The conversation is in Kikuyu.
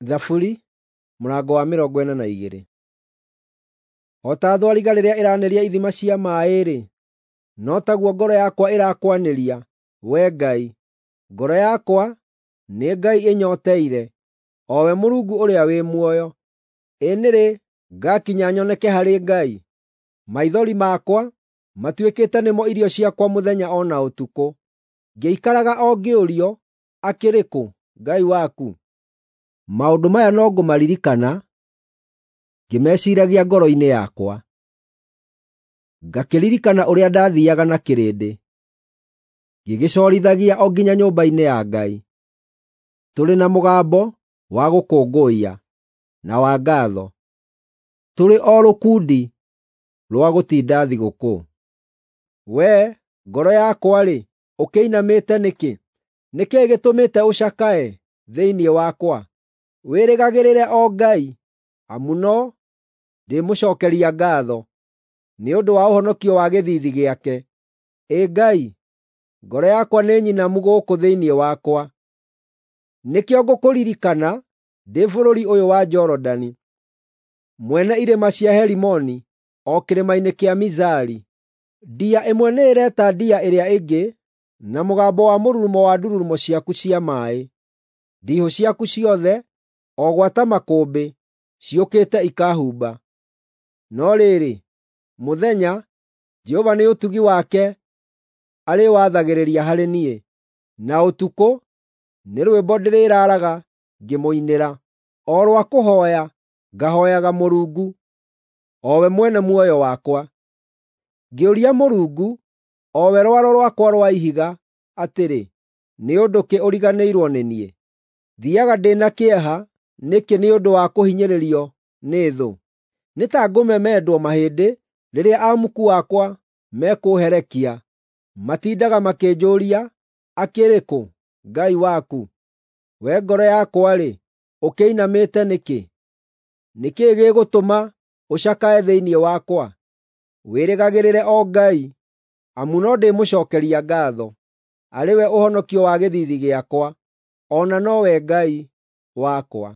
Thaburi mũrango wa 42. O ta thwariga rĩrĩa ĩranĩria ithima cia maaĩ-rĩ, no taguo ngoro yakwa ĩrakwanĩria, Wee Ngai. Ngoro yakwa nĩ Ngai ĩnyooteire, o we Mũrungu ũrĩa wĩ muoyo. Ĩ nĩ rĩ ngakinya nyoneke harĩ Ngai? Maithori makwa matuĩkĩte nĩmo irio ciakwa mũthenya o na ũtukũ, ngĩikaraga o ngĩũrio, “Akĩrĩ kũ Ngai waku?” Maũndũ maya no ngũmaririkana ngĩmeciiragia ngoro-inĩ yakwa. Ngakĩririkana ũrĩa ndathiiaga na kĩrĩndĩ, ngĩgĩcorithagia o nginya nyũmba-inĩ ya Ngai, tũrĩ na mũgambo wa gũkũngũiya na wa ngaatho, tũrĩ o rũkundi rwa gũtinda thigũkũ. Wee, ngoro yakwa-rĩ, ũkĩinamĩte nĩkĩ? Nĩ kĩĩ gĩtũmĩte ũcakae thĩinĩ wakwa? Wĩrĩgagĩrĩre o Ngai, amu no ndĩmũcookeria ngaatho nĩ ũndũ wa ũhonokio wa gĩthiithi gĩake. Ĩ Ngai, ngoro yakwa nĩ nyinamu gũkũ thĩinĩ wakwa. Nĩkĩo ngũkũririkana ndĩ bũrũri ũyũ wa Jorodani, mwene irĩma cia Herimoni, o kĩrĩma-inĩ kĩa Mizari. Ndia ĩmwe nĩĩreta ndia ĩrĩa ĩngĩ na mũgambo wa mũrurumo wa ndururumo ciaku cia maaĩ. Ndiihũ ciaku ciothe, o gwata makũmbĩ, ciũkĩte ikaahumba. No rĩrĩ, mũthenya, Jehova nĩ ũtugi wake arĩwathagĩrĩria harĩ niĩ, na ũtukũ nĩ rwĩmbo ndĩrĩraaraga ngĩmũinĩra, o rwa kũhooya ngahooyaga Mũrungu, o we mwene muoyo wakwa. Ngĩũria Mũrungu, o we rwaro rwakwa rwa ihiga, atĩrĩ, “Nĩ ũndũ kĩ ũriganĩirwo nĩ niĩ? Thiiaga ndĩ na kĩeha nĩkĩ nĩ ũndũ wa kũhinyĩrĩrio nĩ thũ?” Nĩ ta ngũmemendwo mahĩndĩ rĩrĩa amuku akwa mekũũherekia; matindaga makĩnjũũria, “Akĩrĩ kũ Ngai waku?” Wee ngoro yakwa-rĩ, ũkĩinamĩte nĩkĩ? Nĩ kĩĩ gĩgũtũma ũcakae thĩinĩ wakwa? Wĩrĩgagĩrĩre o Ngai, amu no ndĩmũcookeria ngaatho, arĩ we ũhonokio wa gĩthiithi gĩakwa, o na nowe Ngai wakwa.